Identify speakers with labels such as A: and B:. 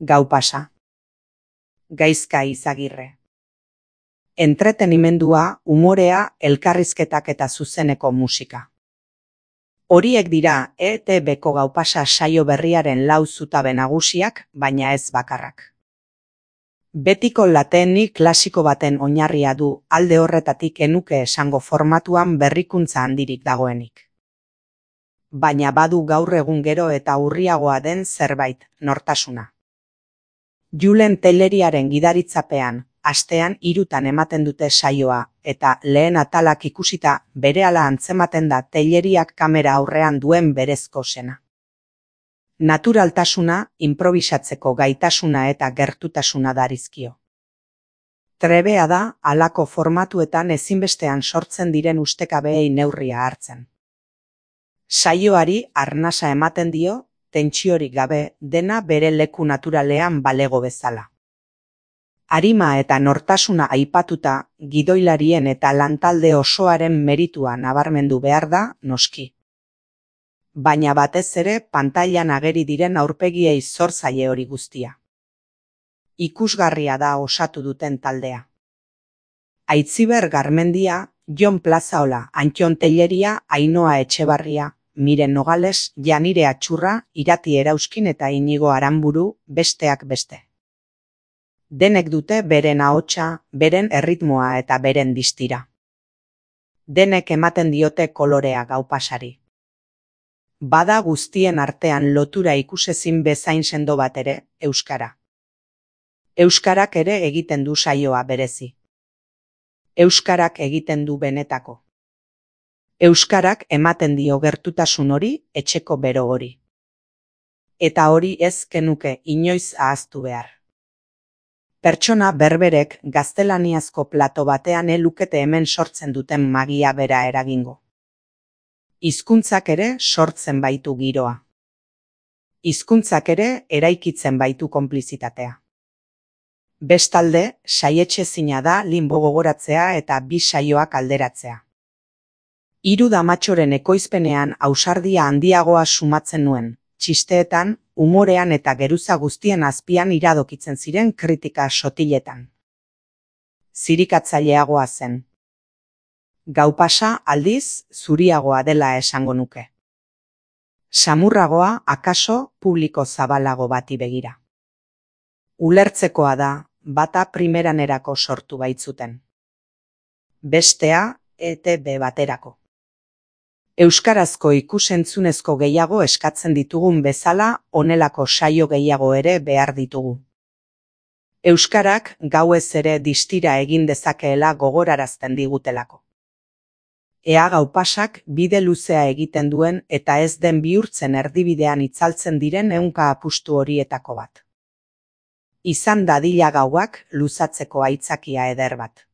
A: Gau pasa. Gaizka Izagirre. Entretenimendua, umorea, elkarrizketak eta zuzeneko musika. Horiek dira ETB-ko Gau pasa saio berriaren 4 zutabe nagusiak, baina ez bakarrak. Betiko lateni klasiko baten oinarria du, alde horretatik enuke esango formatuan berrikuntza handirik dagoenik. Baina badu gaur egun gero eta urriagoa den zerbait, nortasuna. Julen Telleriaren gidaritzapean, astean 3 ematen dute saioa, eta lehen atalak ikusita berehala antzematen da Telleriak kamera aurrean duen berezko sena. Naturaltasuna, inprobisatzeko gaitasuna eta gertutasuna darizkio. Trebea da, halako formatuetan ezinbestean sortzen diren ustekabeei neurria hartzen. Saioari arnasa ematen dio, tentsiorik gabe, dena bere leku naturalean balego bezala. Arima eta nortasuna aipatuta, gidoilarien eta lantalde osoaren meritua nabarmendu behar da, noski. Baina batez ere pantailan ageri diren aurpegiei zor zaie hori guztia. Ikusgarria da osatu duten taldea. Aitziber Garmendia, Jon Plazaola, Antton Telleria, Ainhoa Etxebarria, Miren Nogales, Janire Atxurra, Irati Erauskin eta Inigo Aranburu, besteak beste. Denek dute beren ahotsa, beren erritmoa eta beren distira. Denek ematen diote kolorea Gau pasari. Bada guztien artean lotura ikusezin bezain sendo bat ere, euskara. Euskarak ere egiten du saioa berezi. Euskarak egiten du benetako. Euskarak ematen dio gertutasun hori, etxeko bero hori. Eta hori ez genuke inoiz ahaztu behar. Pertsona berberek gaztelaniazko plato batean lukete hemen sortzen duten magia bera eragingo. Hizkuntzak ere sortzen baitu giroa. Hizkuntzak ere eraikitzen baitu konplizitatea. Bestalde, saietxezina da limbo gogoratzea eta 2 saioak alderatzea. 3 damatxoren ekoizpenean ausardia handiagoa sumatzen nuen, txisteetan, umorean eta geruza guztien azpian iradokitzen ziren kritika sotiletan. Zirikatzaileagoa zen. Gau pasa aldiz zuriagoa dela esango nuke. Samurragoa akaso publiko zabalago bati begira. Ulertzekoa da, bata primeranerako sortu baitzuten. Bestea, ETB baterako. Euskarazko ikusentzunezko gehiago eskatzen ditugun bezala, honelako saio gehiago ere behar ditugu. Euskarak gauez ere distira egin dezakeela gogorarazten digutelako. Ea Gau pasak bide luzea egiten duen eta ez den bihurtzen erdibidean itzaltzen diren ehunka apustu horietako bat. Izan dadila gauak luzatzeko aitzakia eder bat.